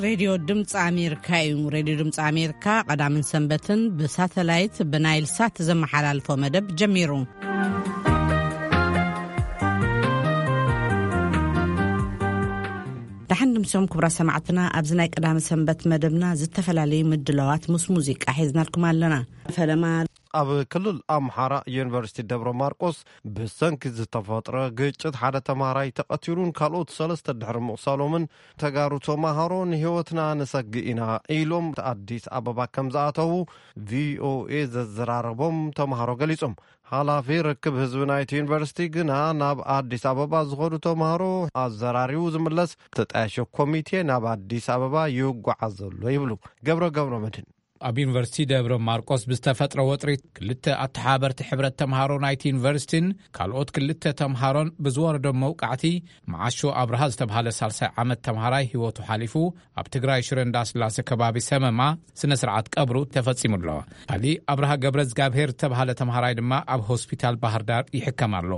ሬድዮ ድምፂ ኣሜሪካ እዩ። ሬድዮ ድምፂ ኣሜሪካ ቀዳምን ሰንበትን ብሳተላይት ብናይል ሳት ዘመሓላልፎ መደብ ጀሚሩ። ደሓን ድምሶም ክቡራት ሰማዕትና፣ ኣብዚ ናይ ቀዳሚ ሰንበት መደብና ዝተፈላለዩ ምድላዋት ምስ ሙዚቃ ሒዝናልኩም ኣለና። ፈለማ ኣብ ክልል ኣምሓራ ዩኒቨርሲቲ ደብረ ማርቆስ ብሰንኪ ዝተፈጥረ ግጭት ሓደ ተማሃራይ ተቐቲሉን ካልኦት ሰለስተ ድሕሪ ምቑሳሎምን ተጋሩ ተማሃሮ ንህይወትና ንሰግእ ኢና ኢሎም ኣዲስ ኣበባ ከም ዝኣተዉ ቪኦኤ ዘዘራረቦም ተማሃሮ ገሊጾም። ሓላፊ ርክብ ህዝቢ ናይቲ ዩኒቨርሲቲ ግና ናብ ኣዲስ ኣበባ ዝኸዱ ተማሃሮ ኣዘራሪቡ ዝምለስ ተጣያሾ ኮሚቴ ናብ ኣዲስ ኣበባ ይጓዓዝ ዘሎ ይብሉ። ገብረ ገብረ መድህን ኣብ ዩኒቨርሲቲ ደብረ ማርቆስ ብዝተፈጥረ ወጥሪ ክልተ ኣተሓበርቲ ሕብረት ተምሃሮ ናይቲ ዩኒቨርሲቲን ካልኦት ክልተ ተምሃሮን ብዝወረዶም መውቃዕቲ መዓሾ ኣብርሃ ዝተብሃለ ሳልሳይ ዓመት ተምሃራይ ህይወቱ ሓሊፉ ኣብ ትግራይ ሽረ እንዳስላሴ ከባቢ ሰመማ ስነ ስርዓት ቀብሩ ተፈጺሙ ኣሎ። ካሊእ ኣብርሃ ገብረ እግዚኣብሔር ዝተብሃለ ተምሃራይ ድማ ኣብ ሆስፒታል ባህር ዳር ይሕከም ኣሎ።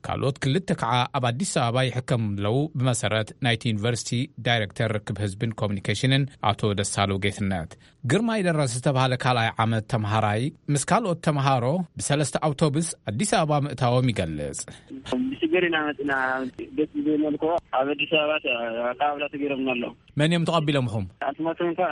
ካልኦት ክልተ ከዓ ኣብ ኣዲስ ኣበባ ይሕከሙ ኣለዉ። ብመሰረት ናይቲ ዩኒቨርሲቲ ዳይሬክተር ርክብ ህዝብን ኮሚኒኬሽንን ኣቶ ደሳሉ ጌትነት፣ ግርማይ ደረስ ዝተባህለ ካልኣይ ዓመት ተምሃራይ ምስ ካልኦት ተምሃሮ ብሰለስተ ኣውቶቡስ ኣዲስ ኣበባ ምእታዎም ይገልጽ። ብሽግር ኢና መፅና። ደስ ዝብል መልክዑ ኣብ ኣዲስ ኣበባ ኣቀባብላ ተገይሮምና ኣሎ። መን እዮም ተቐቢሎምኹም? ኣስማቶም ከ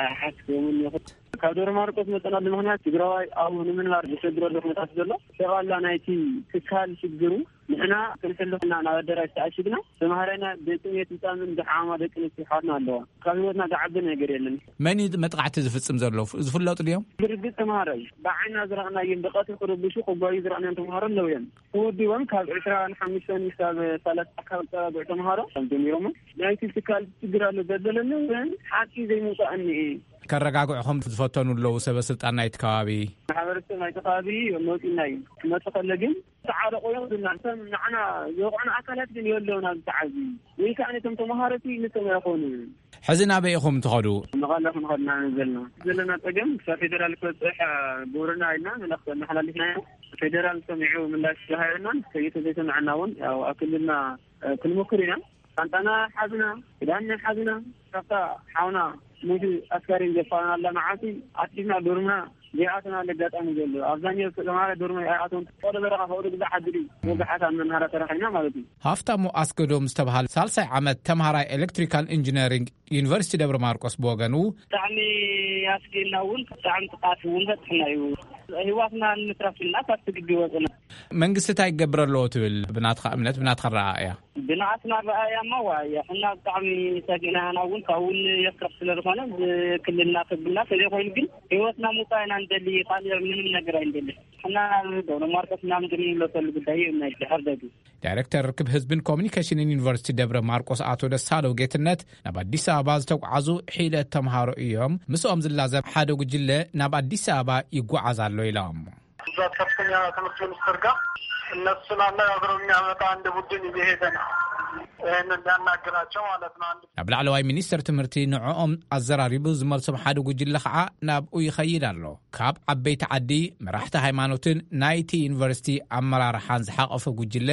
ኣይሓስቦምን ይኹን። ካብ ደብረ ማርቆስ መፀናሉ ምክንያት ትግራዋይ ኣብኡ ንምንባር ዝሸግረሉ ኩነታት ዘሎ ጠቕላላ ናይቲ ትካል ሽግሩ ንሕና ክንሕልፍ ኢና ናብ ኣደራሽ ተኣሽግና። ተምሃራይና ብጥሜት ህፃምን ዝሓማ ደቂ ኣንስትዮ ኣሕዋትና ኣለዋ። ካብ ህይወትና ዝዓቢ ነገር የለን። መን እዩ መጥቃዕቲ ዝፍጽም ዘሎ? ዝፍለጡ ድዮም? ብርግጽ ተምሃራይ ብዓይና ዝረኣናዮም ብቐትሪ ክርብሹ ክጓዩ ዝረኣናዮም ተምሃሮ ኣለዉ እዮም። ተወዲቦም ካብ ዕስራን ሓሙሽተን ክሳብ ሰላሳ ኣካባቢ ተባብዑ ተምሃሮ ከም ጀሚሮሞ ናይቲ ትካል ችግር ኣሎ ዘበለኒ ግን ሓቂ ዘይምውፃእ እኒኤ። ከረጋግዕኹም ዝፈተኑ ኣለዉ ሰበ ስልጣን ናይቲ ከባቢ? ማሕበረሰብ ናይቲ ከባቢ መፂና እዩ። ክመፁ ከለ ግን ተዓረቑ እዮም ዝብልና። እቶም ንዓና ዝወቕዑና ኣካላት ግን የለውን ኣብዚ ሰዓት እዚ። ወይ ከዓ ነቶም ተምሃሮ እቲ ንሶም ኣይኾኑን። ሕዚ ናበይ ኢኹም ትኸዱ? መቐለ ክንኸድ ኢና ዘለና። ዘለና ጸገም ክሳብ ፌደራል ክበጽሕ ግብርና ኢልና መልእኽቲ ኣመሓላሊፍና ኢና። ፌደራል ሰሚዑ ምላሽ ዝሃበናን ከይተ ዘይሰምዐና እውን ያው ኣብ ክልልና ክንሞክር ኢና። ሻንጣና ሓዝና፣ ክዳንና ሓዝና፣ ካብታ ሓውና ሙቲ ኣስካሪን ዘፋናላ መዓልቲ ኣቲፍና ዶርምና ዘይኣተናሉ ኣጋጣሚ ዘሎ። ኣብዛኛው ተማሃራይ ዶርም ኣይኣተውን። ወደ በረኻ ከውደ ግዛዕ ሓድሪ ወጋሓት ኣብ መናሃራ ተረኺብና ማለት እዩ። ሃፍታሙ ኣስገዶም ዝተባሃለ ሳልሳይ ዓመት ተምሃራይ ኤሌክትሪካል ኢንጂነሪንግ ዩኒቨርሲቲ ደብረ ማርቆስ ብወገኑ፣ ብጣዕሚ ኣስጊእና እውን ብጣዕሚ ጥቃት እውን በፅሕና እዩ። ህይወትና ንምትራፍ ኢልና ካብቲ ግቢ ወፅና። መንግስቲ እንታይ ይገብር ኣለዎ ትብል? ብናትኻ እምነት፣ ብናትኻ ረኣእያ? ብናትና ረኣያ እማ ዋ እያ እና ብጣዕሚ ሰጊእና ኢና። እውን ካብኡ እውን የፍርሕ ስለ ዝኾነ ክልልና ክብልና ተዘይኮይኑ ግን ህይወትና ምውፃእ ኢና ንደሊ። ካልእ ምንም ነገር ኣይንደሊ። እና ደብረ ማርቆስ ምናምን ግን ይምለሰሉ ጉዳይ እዩ ናይ ድሕር ደግ። ዳይሬክተር ርክብ ህዝብን ኮሚኒኬሽንን ዩኒቨርሲቲ ደብረ ማርቆስ ኣቶ ደሳለው ጌትነት፣ ናብ ኣዲስ ኣበባ ዝተጓዓዙ ሒደት ተምሃሮ እዮም። ምስኦም ዝላዘብ ሓደ ጉጅለ ናብ ኣዲስ ኣበባ ይጓዓዝ ኣሎ ኢሎም። እዛ ከፍተኛ ትምህርት ሚኒስትር ጋር እነሱን አነጋግሮ የሚያመጣ አንድ ቡድን እየሄደ ነው። ይህንን ሊያናግራቸው ማለት ነው። አንድ ናብ ላዕለዋይ ሚኒስትር ትምህርቲ ንዕኦም ኣዘራሪቡ ዝመልሶም ሓደ ጉጅለ ከዓ ናብኡ ይኸይድ ኣሎ። ካብ ዓበይቲ ዓዲ፣ መራሕቲ ሃይማኖትን ናይቲ ዩኒቨርሲቲ ኣመራርሓን ዝሓቐፈ ጉጅለ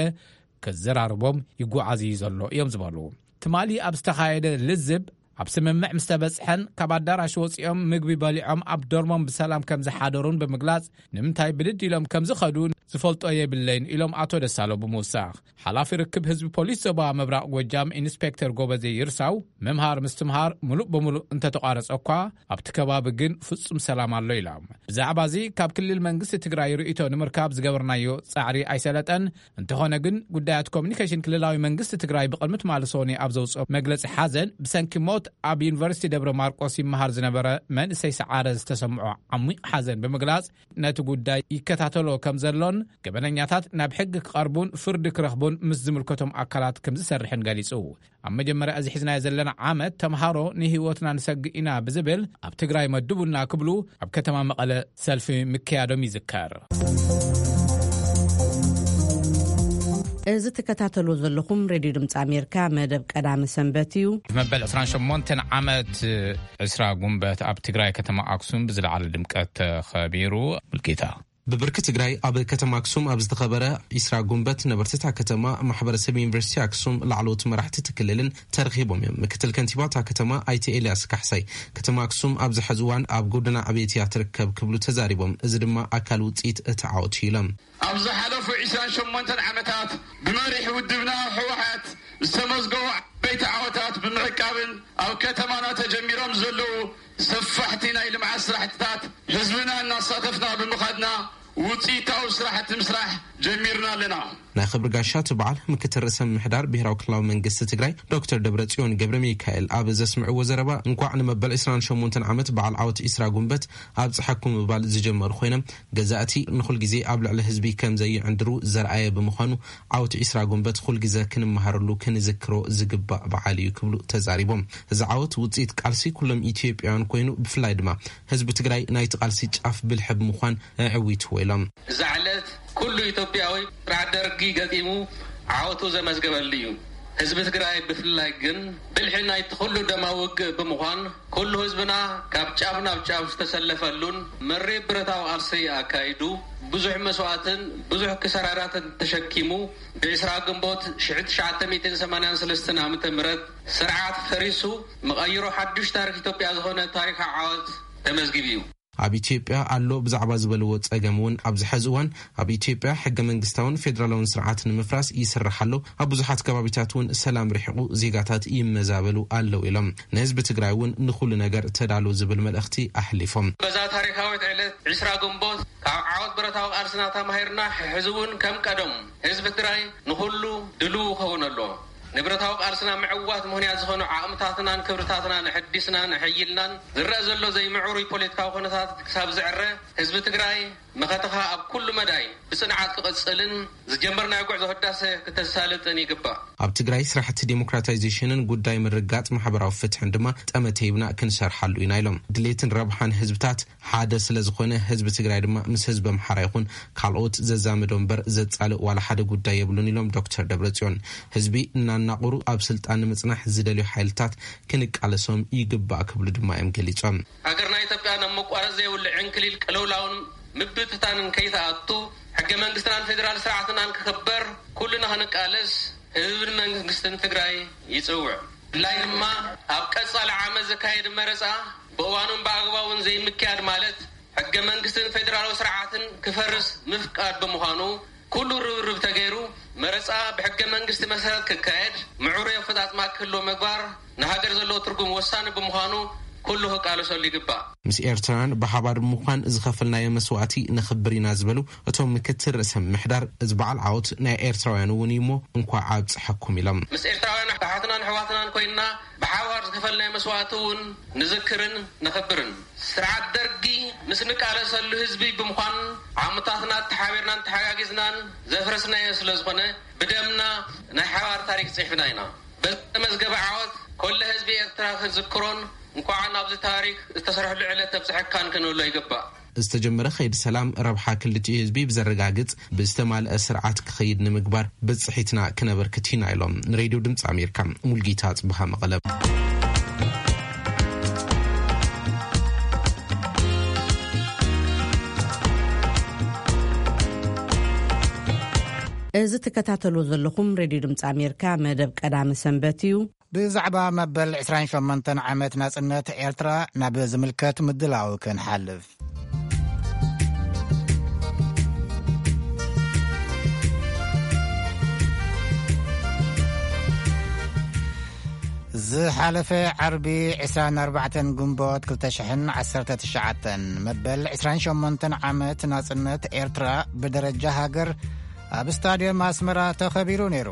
ከዘራርቦም ይጓዓዝ እዩ ዘሎ እዮም ዝበሉ። ትማሊ ኣብ ዝተኻየደ ልዝብ፣ ኣብ ስምምዕ ምስ ተበጽሐን ካብ ኣዳራሽ ወጺኦም ምግቢ በሊዖም ኣብ ዶርሞም ብሰላም ከም ዝሓደሩን ብምግላጽ፣ ንምንታይ ብድድ ኢሎም ከም ዝኸዱ ዝፈልጦ የብለይን ኢሎም ኣቶ ደሳሎ ብምውሳኽ። ሓላፊ ርክብ ህዝቢ ፖሊስ ዞባ ምብራቕ ጎጃም ኢንስፔክተር ጎበዜ ይርሳው፣ ምምሃር ምስትምሃር ምሉእ ብምሉእ እንተተቋረጸ እኳ፣ ኣብቲ ከባቢ ግን ፍጹም ሰላም ኣሎ ኢሎም። ብዛዕባ እዚ ካብ ክልል መንግስቲ ትግራይ ርእይቶ ንምርካብ ዝገበርናዮ ጻዕሪ ኣይሰለጠን። እንተኾነ ግን ጉዳያት ኮሚኒኬሽን ክልላዊ መንግስቲ ትግራይ ብቕድሚ ትማሊ ሰኑይ ኣብ ዘውፅኦ መግለፂ ሓዘን ብሰንኪ ሞት ኣብ ዩኒቨርሲቲ ደብረ ማርቆስ ይመሃር ዝነበረ መንእሰይ ሰዓረ ዝተሰምዖ ዓሚቕ ሓዘን ብምግላፅ ነቲ ጉዳይ ይከታተሎ ከም ዘሎን ገበነኛታት ናብ ሕጊ ክቐርቡን ፍርዲ ክረኽቡን ምስ ዝምልከቶም ኣካላት ከም ዝሰርሕን ገሊፁ። ኣብ መጀመርያ እዚ ሒዝናዮ ዘለና ዓመት ተምሃሮ ንህይወትና ንሰግእ ኢና ብዝብል ኣብ ትግራይ መድቡና ክብሉ ኣብ ከተማ መቐለ ሰልፊ ምክያዶም ይዝከር። እዚ ትከታተሉ ዘለኹም ሬድዮ ድምፂ ኣሜሪካ መደብ ቀዳሚ ሰንበት እዩ። መበል ዕስራን ሸሞንተን ዓመት ዕስራ ጉንበት ኣብ ትግራይ ከተማ ኣክሱም ብዝለዓለ ድምቀት ተኸቢሩ። ሙልጌታ ብብርኪ ትግራይ ኣብ ከተማ ኣክሱም ኣብ ዝተኸበረ ዒስራ ጉንበት ነበርቲ እታ ከተማ፣ ማሕበረሰብ ዩኒቨርሲቲ ኣክሱም፣ ላዕለዎት መራሕቲ እቲ ክልልን ተረኺቦም እዮም። ምክትል ከንቲባ እታ ከተማ ኣይተ ኤልያስ ካሕሳይ፣ ከተማ ኣክሱም ኣብዚ ሕዚ እዋን ኣብ ጎደና ዕብየት እያ ትርከብ ክብሉ ተዛሪቦም። እዚ ድማ ኣካል ውፅኢት እቲ ዓወት እዩ ኢሎም። ኣብ ዝሓለፉ ዒስራን ሸሞንተን ዓመታት ብመሪሕ ውድብና ህወሓት ዝተመዝገቡ ዓበይቲ ዓወታት ብምዕቃብን ኣብ ከተማና ተጀሚሮም ዘለዉ ሰፋሕቲ ናይ ልምዓት ስራሕትታት ህዝብና እናሳተፍና ብምኻድና ውፅኢታዊ ስራሕቲ ምስራሕ ጀሚርና ኣለና። ናይ ክብሪ ጋሻ እቲ በዓል ምክትል ርእሰ ምምሕዳር ብሄራዊ ክልላዊ መንግስቲ ትግራይ ዶክተር ደብረጽዮን ገብረ ሚካኤል ኣብ ዘስምዕዎ ዘረባ፣ እንኳዕ ንመበል ዒስራን ሸሞንተን ዓመት በዓል ዓወት ዒስራ ጉንበት ኣብፀሐኩም ምባል ዝጀመሩ ኮይኖም፣ ገዛእቲ ንኹል ግዜ ኣብ ልዕሊ ህዝቢ ከም ዘይዕንድሩ ዘርኣየ ብምዃኑ፣ ዓወት ዒስራ ጉንበት ኩል ግዘ ክንመሃረሉ ክንዝክሮ ዝግባእ በዓል እዩ ክብሉ ተዛሪቦም። እዚ ዓወት ውፅኢት ቃልሲ ኩሎም ኢትዮጵያውያን ኮይኑ፣ ብፍላይ ድማ ህዝቢ ትግራይ ናይቲ ቃልሲ ጫፍ ብልሒ ብምዃን ኣዕዊትዎ ኢሎም። እዛ ዕለት ኩሉ ኢትዮጵያዊ ስርዓት ደርጊ ገጢሙ ዓወቱ ዘመዝገበሉ እዩ። ህዝቢ ትግራይ ብፍላይ ግን ብልሒ ናይቲ ኩሉ ደማዊ ውግእ ብምዃን፣ ኩሉ ህዝብና ካብ ጫፍ ናብ ጫፍ ዝተሰለፈሉን መሪር ብረታዊ ቃልሲ ኣካይዱ፣ ብዙሕ መስዋእትን ብዙሕ ክሰራራትን ተሸኪሙ፣ ብዒስራ ግንቦት ሽሕቲ ትሽዓተ ሚእትን ሰማንያን ሰለስተን ዓመተ ምህረት ስርዓት ፈሪሱ፣ መቐይሮ ሓዱሽ ታሪኽ ኢትዮጵያ ዝኾነ ታሪኻዊ ዓወት ተመዝጊቡ እዩ። ኣብ ኢትዮጵያ ኣሎ ብዛዕባ ዝበልዎ ጸገም እውን ኣብዚ ሐዚ እዋን ኣብ ኢትዮጵያ ሕገ መንግስታውን ፌዴራላውን ስርዓት ንምፍራስ ይስራሕ ኣሎ። ኣብ ብዙሓት ከባቢታት እውን ሰላም ርሒቑ ዜጋታት ይመዛበሉ ኣለዉ ኢሎም። ንህዝቢ ትግራይ እውን ንኹሉ ነገር ተዳሉ ዝብል መልእኽቲ ኣሕሊፎም። በዛ ታሪካዊት ዕለት ዒስራ ግንቦት ካብ ዓወት ብረታዊ ቃልስና ተማሂርና ሕዚ እውን ከም ቀደም ህዝቢ ትግራይ ንኹሉ ድልው ክኸውን ኣለዎ። ንብረታዊ ቃልስና ምዕዋት ምኽንያት ዝኾኑ ዓቕምታትናን ክብርታትናን ኣሐዲስናን ኣሐይልናን ዝረአ ዘሎ ዘይምዕሩይ ፖለቲካዊ ኩነታት ክሳብ ዝዕረ ህዝቢ ትግራይ መኸተኻ ኣብ ኩሉ መዳይ ብጽንዓት ክቕጽልን ዝጀመርናዮ ጉዕዞ ህዳሰ ክተሳልጥን ይግባእ። ኣብ ትግራይ ስራሕቲ ዴሞክራታይዜሽንን ጉዳይ ምርጋጥ ማሕበራዊ ፍትሕን ድማ ጠመተ ሂብና ክንሰርሓሉ ኢና ኢሎም። ድሌትን ረብሓን ህዝብታት ሓደ ስለ ዝኾነ ህዝቢ ትግራይ ድማ ምስ ህዝቢ ኣምሓራ ይኹን ካልኦት ዘዛምዶ እምበር ዘጻልእ ዋላ ሓደ ጉዳይ የብሉን ኢሎም ዶክተር ደብረጽዮን። ህዝቢ እናናቑሩ ኣብ ስልጣን ንምጽናሕ ዝደልዩ ሓይልታት ክንቃለሶም ይግባእ ክብሉ ድማ እዮም ገሊጾም። ሃገርና ኢትዮጵያ ናብ መቋረጽ ዘይብሉ ዕንክሊል ቅልውላውን ምብትታንን ከይትኣቱ ሕገ መንግስትናን ፌዴራል ስርዓትናን ክኽበር ኩልና ክንቃለስ ህዝብን መንግስትን ትግራይ ይጽውዕ። ብፍላይ ድማ ኣብ ቀጻሊ ዓመት ዝካየድ መረጻ ብእዋኑን ብኣግባቡን ዘይምክያድ ማለት ሕገ መንግስትን ፌዴራላዊ ስርዓትን ክፈርስ ምፍቃድ ብምዃኑ ኩሉ ርብርብ ተገይሩ መረጻ ብሕገ መንግስቲ መሰረት ክካየድ ምዕሩይ ኣፈጻጽማ ክህልዎ ምግባር ንሃገር ዘለዎ ትርጉም ወሳኒ ብምዃኑ ኩሉ ክቃለሰሉ ይግባእ። ምስ ኤርትራውያን ብሓባር ብምዃን ዝኸፈልናዮ መስዋእቲ ነኽብር ኢና ዝበሉ እቶም ምክትል ርእሰ ምምሕዳር፣ እዚ በዓል ዓወት ናይ ኤርትራውያን እውን እዩ እሞ እንኳዕ ኣብጽሐኩም ኢሎም። ምስ ኤርትራውያን ኣሓትናን ኣሕዋትናን ኮይንና ብሓባር ዝኸፈልናዮ መስዋእቲ እውን ንዝክርን ነኽብርን። ስርዓት ደርጊ ምስ ንቃለሰሉ ህዝቢ ብምዃን ዓቕምታትና ተሓቢርናን ተሓጋጊዝናን ዘፍረስናዮ ስለ ዝኾነ ብደምና ናይ ሓባር ታሪክ ጽሒፍና ኢና። በዚ ተመዝገበ ዓወት ኮለ ህዝቢ ኤርትራ ክንዝክሮን እንኳዕ ናብዚ ታሪክ ዝተሰርሕሉ ዕለት ተብጽሐካን ክንብሎ ይግባእ። ዝተጀመረ ከይዲ ሰላም ረብሓ ክልቲኡ ህዝቢ ብዘረጋግጽ ብዝተማልአ ስርዓት ክኸይድ ንምግባር ብጽሒትና ክነበርክት ኢና ኢሎም። ንሬድዮ ድምፂ ኣሜሪካ ሙልጌታ ጽብሃ መቐለ። እዚ ትከታተሉ ዘለኹም ሬድዮ ድምፂ ኣሜሪካ መደብ ቀዳሚ ሰንበት እዩ። ብዛዕባ መበል ዕስራን ሸሞንተን ዓመት ናጽነት ኤርትራ ናብ ዝምልከት ምድላው ክንሓልፍ። ዝሓለፈ ዓርቢ ዕስራን ኣርባዕተን ግንቦት ክልተ ሽሕን ዓሰርተ ትሽዓተን መበል ዕስራን ሸሞንተን ዓመት ናጽነት ኤርትራ ብደረጃ ሃገር ኣብ ስታድየም ኣስመራ ተኸቢሩ ነይሩ።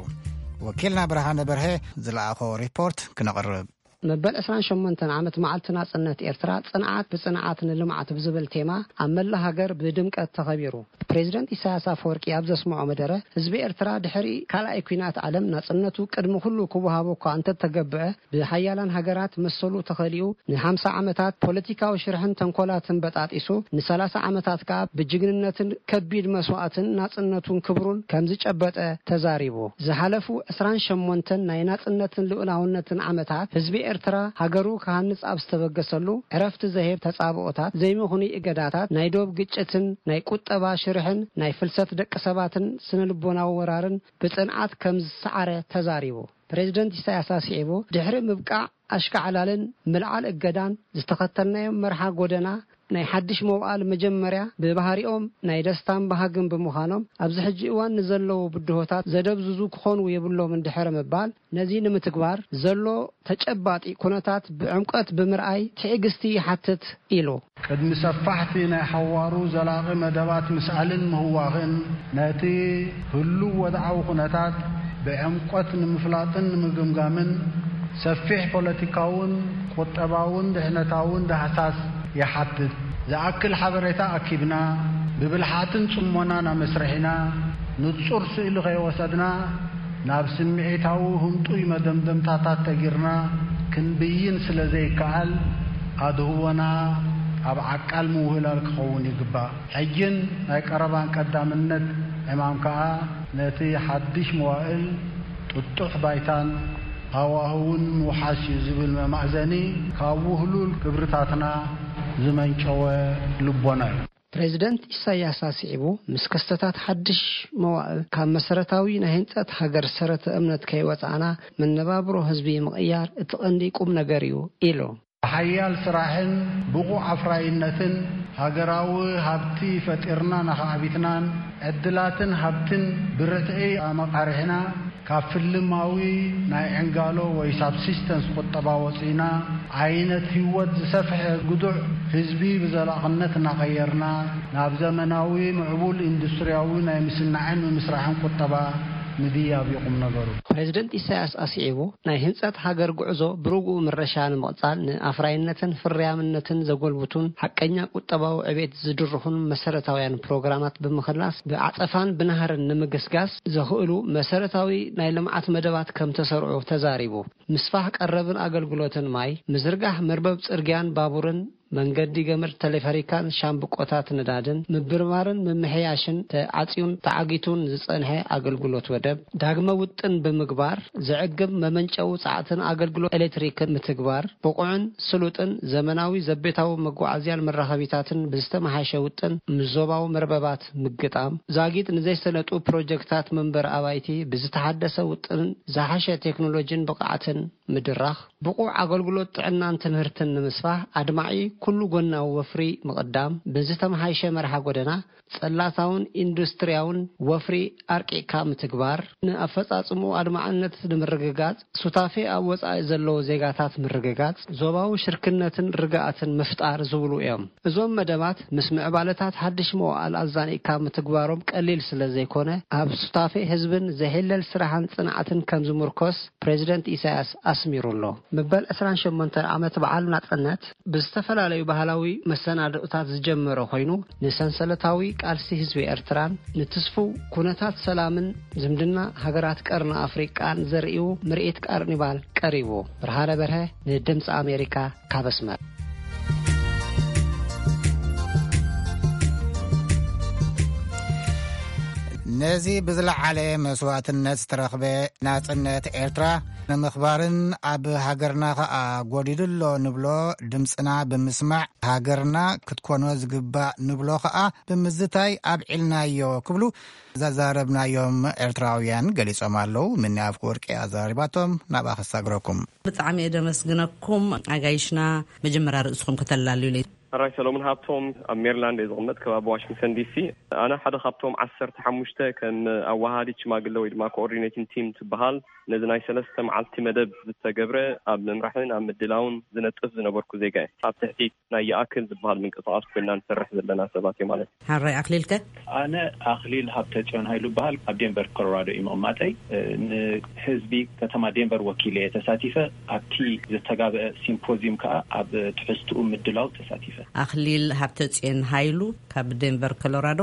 ወኪልና ብርሃነ በርሀ ዝለኣኾ ሪፖርት ክነቕርብ። መበል ዕስራን ሸሞንተን ዓመት መዓልቲ ናጽነት ኤርትራ፣ ጽንዓት ብጽንዓት ንልምዓት ብዝብል ቴማ ኣብ መላእ ሃገር ብድምቀት ተኸቢሩ። ፕሬዚደንት ኢሳያስ ኣፈወርቂ ኣብ ዘስምዖ መደረ፣ ህዝቢ ኤርትራ ድሕሪ ካልኣይ ኲናት ዓለም ናጽነቱ ቅድሚ ኩሉ ክወሃቦ እኳ እንተተገብዐ፣ ብሓያላን ሃገራት መሰሉ ተኸሊኡ ንሓምሳ ዓመታት ፖለቲካዊ ሽርሕን ተንኮላትን በጣጢሱ፣ ንሰላሳ ዓመታት ከኣ ብጅግንነትን ከቢድ መስዋእትን ናጽነቱን ክብሩን ከም ዝጨበጠ ተዛሪቡ። ዝሓለፉ ዕስራን ሸሞንተን ናይ ናጽነትን ልኡላውነትን ዓመታት ህዝቢ ኤርትራ ሃገሩ ክሃንጽ ኣብ ዝተበገሰሉ፣ ዕረፍቲ ዘሄብ ተጻብኦታት፣ ዘይምኽኑይ እገዳታት፣ ናይ ዶብ ግጭትን ናይ ቁጠባ ሽርሕን ናይ ፍልሰት ደቂ ሰባትን ስነ-ልቦናዊ ወራርን ብጽንዓት ከም ዝሰዓረ ተዛሪቡ። ፕሬዝደንት ኢሳያስ ኣስዒቡ፣ ድሕሪ ምብቃዕ ኣሽካዕላልን ምልዓል እገዳን ዝተኸተልናዮም መርሓ ጎደና ናይ ሓድሽ መዋእል መጀመርያ ብባህሪኦም ናይ ደስታን ባህግን ብምዃኖም፣ ኣብዚ ሕጂ እዋን ንዘለዉ ብድሆታት ዘደብዝዙ ክኾኑ የብሎምን ድሕሪ ምባል፣ ነዚ ንምትግባር ዘሎ ተጨባጢ ኩነታት ብዕምቀት ብምርኣይ ትዕግስቲ ይሓትት ኢሉ። ቅድሚ ሰፋሕቲ ናይ ሓዋሩ ዘላቒ መደባት ምስኣልን ምህዋኽን፣ ነቲ ህሉው ወድዓዊ ኩነታት ብዕምቆት ንምፍላጥን ንምግምጋምን፣ ሰፊሕ ፖለቲካውን ቁጠባውን ድሕነታውን ዳህሳስ ይሓትት። ዝኣክል ሓበሬታ ኣኪብና፣ ብብልሓትን ጽሞናን ኣመስሪሕና፣ ንጹር ስእሊ ከይወሰድና፣ ናብ ስምዒታዊ ህንጡይ መደምደምታታት ተጊርና ክንብይን ስለ ዘይከኣል፣ ኣድህቦና ኣብ ዓቃል ምውህላል ክኸውን ይግባእ። ሕጅን ናይ ቀረባን ቀዳምነት ዕማም ከኣ፣ ነቲ ሓድሽ መዋእል ጥጡሕ ባይታን ሃዋህውን ምውሓስ እዩ ዝብል መማእዘኒ፣ ካብ ውህሉል ክብርታትና ዝመንጨወ ልቦና እዩ። ፕሬዝደንት ኢሳያስ ኣስዒቡ፣ ምስ ክስተታት ሓድሽ መዋእል ካብ መሰረታዊ ናይ ህንጸት ሃገር ሰረተ እምነት ከይወጻእና፣ መነባብሮ ህዝቢ ምቕያር እቲ ቀንዲ ቁም ነገር እዩ ኢሉ። ብሓያል ስራሕን ብቑዕ ኣፍራይነትን፣ ሃገራዊ ሃብቲ ፈጢርና ንኸዓቢትናን ዕድላትን ሃብትን ብርትዒ ኣመቓሪሕና፣ ካብ ፍልማዊ ናይ ዕንጋሎ ወይ ሳብሲስተንስ ቁጠባ ወጺእና፣ ዓይነት ህይወት ዝሰፍሐ ግዱዕ ህዝቢ ብዘላቕነት እናቐየርና፣ ናብ ዘመናዊ ምዕቡል ኢንዱስትሪያዊ ናይ ምስናዕን ምምስራሕን ቁጠባ ምድያብ እዩ ቁም ነገሩ። ፕሬዝደንት ኢሳያስ ኣስዒቡ፣ ናይ ህንጸት ሃገር ጉዕዞ ብርጉእ ምረሻ ንምቕጻል፣ ንኣፍራይነትን ፍርያምነትን ዘጎልብቱን ሓቀኛ ቁጠባዊ ዕቤት ዝድርኹን መሰረታውያን ፕሮግራማት ብምኽላስ፣ ብዓጸፋን ብናህርን ንምግስጋስ ዘኽእሉ መሰረታዊ ናይ ልምዓት መደባት ከም ተሰርዑ ተዛሪቡ። ምስፋሕ ቀረብን ኣገልግሎትን ማይ፣ ምዝርጋሕ መርበብ ጽርግያን ባቡርን፣ መንገዲ ገመድ ተሌፈሪካን ሻምብቆታት ነዳድን ምብርባርን ምምሕያሽን፣ ተዓጽዩን ተዓጊቱን ዝጸንሐ ኣገልግሎት ወደብ ዳግመ ውጥን ብምግባር፣ ዘዕግብ መመንጨዊ ጸዓትን ኣገልግሎት ኤሌክትሪክን ምትግባር፣ ብቑዕን ስሉጥን ዘመናዊ ዘቤታዊ መጓዓዝያን መራኸቢታትን ብዝተመሓሸ ውጥን ምስ ዞባዊ መርበባት ምግጣም፣ ዛጊት ንዘይሰለጡ ፕሮጀክታት መንበሪ ኣባይቲ ብዝተሓደሰ ውጥንን ዝሓሸ ቴክኖሎጂን ብቕዓትን ምድራኽ፣ ብቑዕ ኣገልግሎት ጥዕናን ትምህርትን ንምስፋሕ፣ ኣድማዒ ኩሉ ጎናዊ ወፍሪ ምቕዳም፣ ብዝተመሓየሸ መርሓ ጎደና፣ ጽላታውን ኢንዱስትሪያውን ወፍሪ ኣርቂቕካ ምትግባር፣ ንኣፈጻጽምኡ ኣድማዕነት ንምርግጋጽ፣ ሱታፌ ኣብ ወጻኢ ዘለዉ ዜጋታት ምርግጋጽ፣ ዞባዊ ሽርክነትን ርግኣትን ምፍጣር ዝብሉ እዮም። እዞም መደባት ምስ ምዕባለታት ሓድሽ መዋእል ኣዛኒቕካ ምትግባሮም ቀሊል ስለ ዘይኮነ፣ ኣብ ሱታፌ ህዝብን ዘይሕለል ስራሕን ጽንዓትን ከም ዝምርኮስ ፕሬዚደንት ኢሳያስ ኣስሚሩ ኣሎ። መበል ዕስራን ሸሞንተን ዓመት በዓል ናጽነት ብዝተፈላለዩ ባህላዊ መሰናድኦታት ዝጀመረ ኮይኑ፣ ንሰንሰለታዊ ቃልሲ ህዝቢ ኤርትራን ንትስፉው ኩነታት ሰላምን ዝምድና ሃገራት ቀርኒ ኣፍሪቃን ዘርእዩ ምርኢት ካርኒቫል ቀሪቡ። ብርሃነ በርሀ ንድምፂ ኣሜሪካ ካብ ኣስመራ። ነዚ ብዝለዓለ መስዋእትነት ዝተረኽበ ናጽነት ኤርትራ ንምኽባርን ኣብ ሃገርና ኸኣ ጎዲሉ ኣሎ ንብሎ ድምጽና ብምስማዕ ሃገርና ክትኮኖ ዝግባእ ንብሎ ኸኣ ብምዝታይ ኣብዒልናዮ ክብሉ ዘዛረብናዮም ኤርትራውያን ገሊጾም ኣለዉ። ምኒ ኣፍወርቂ ኣዛሪባቶም፣ ናብኣ ክሳግረኩም። ብጣዕሚ እየ ደመስግነኩም ኣጋይሽና። መጀመርያ ርእስኹም ከተላልዩለይ። ሕራይ ሰሎሙን ሃብቶም፣ ኣብ ሜሪላንድ እየ ዝቕመጥ፣ ከባቢ ዋሽንግተን ዲሲ። ኣነ ሓደ ካብቶም ዓሰርተ ሓሙሽተ ከም ኣወሃሃዲት ሽማግለ ወይ ድማ ኮኦርዲኔቲንግ ቲም ትበሃል፣ ነዚ ናይ ሰለስተ መዓልቲ መደብ ዝተገብረ ኣብ ምምራሕን ኣብ ምድላውን ዝነጥፍ ዝነበርኩ ዜጋ እየ። ኣብ ትሕቲ ናይ ይኣክል ዝበሃል ምንቅስቓስ ኮይና ንሰርሕ ዘለና ሰባት እየ ማለት እዩ። ሕራይ ኣኽሊልከ? ኣነ ኣኽሊል ሃብተጽዮን ሃይሉ እበሃል። ኣብ ዴንቨር ኮሎራዶ እዩ ምቕማጠይ። ንህዝቢ ከተማ ዴንቨር ወኪለ እየ ተሳቲፈ። ኣብቲ ዝተጋብአ ሲምፖዚዩም ከኣ ኣብ ትሕዝትኡ ምድላው ተሳቲፈ። ኣኽሊል ሃብተጽዮን ሃይሉ ካብ ዴንቨር ኮሎራዶ።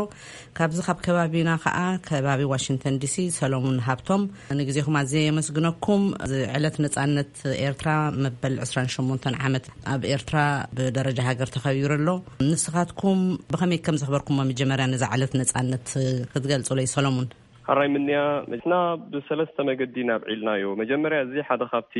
ካብዚ ካብ ከባቢና ከኣ ከባቢ ዋሽንግተን ዲሲ ሰሎሙን ሃብቶም። ንግዜኹም ኣዝየ የመስግነኩም። እዚ ዕለት ነጻነት ኤርትራ መበል ዕስራን ሸሞንተን ዓመት ኣብ ኤርትራ ብደረጃ ሃገር ተኸቢሩ ኣሎ። ንስኻትኩም ብኸመይ ከም ዘኽበርኩሞ መጀመርያ ነዛ ዕለት ነጻነት ክትገልጹለይ ሰሎሙን። ሕራይ ምንያ፣ ንሕና ብሰለስተ መገዲ ናብ ዒልናዮ። መጀመርያ፣ እዚ ሓደ ካብቲ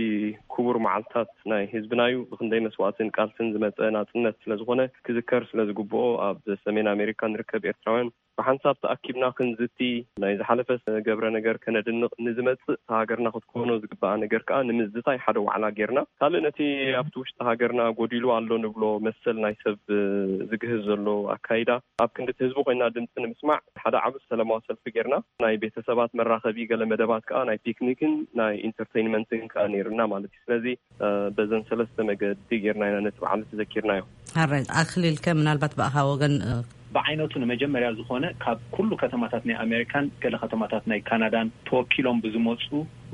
ክቡር መዓልታት ናይ ህዝብና እዩ። ብክንደይ መስዋእትን ቃልስን ዝመጸ ናጽነት ስለ ዝኾነ፣ ክዝከር ስለ ዝግብኦ፣ ኣብ ሰሜን ኣሜሪካ ንርከብ ኤርትራውያን ብሓንሳብ ተኣኪብና ክንዝቲ፣ ናይ ዝሓለፈ ገብረ ነገር ከነድንቕ፣ ንዝመጽእ ሃገርና ክትኮኖ ዝግብኣ ነገር ከኣ ንምዝታይ ሓደ ዋዕላ ጌርና። ካልእ፣ ነቲ ኣብቲ ውሽጢ ሃገርና ጎዲሉ ኣሎ ንብሎ መሰል ናይ ሰብ ዝግህዝ ዘሎ ኣካይዳ፣ ኣብ ክንዲ እቲ ህዝቢ ኮይና ድምፂ ንምስማዕ ሓደ ዓቢ ሰላማዊ ሰልፊ ጌርና። ናይ ቤተሰባት መራኸቢ ገለ መደባት ከኣ ናይ ፒክኒክን ናይ ኢንተርቴይንመንትን ከኣ ነይርና ማለት እዩ። ስለዚ፣ እ፣ በዘን ሰለስተ መገዲ ጌርና ኢና ነቲ በዓል ተዘኪርናዮ። ሕራይ፣ ኣኽሊልከ ምናልባት ብኣኻ ወገን፣ እ፣ ብዓይነቱ ንመጀመርያ ዝኾነ ካብ ኩሉ ከተማታት ናይ ኣሜሪካን ገለ ከተማታት ናይ ካናዳን ተወኪሎም ብዝመፁ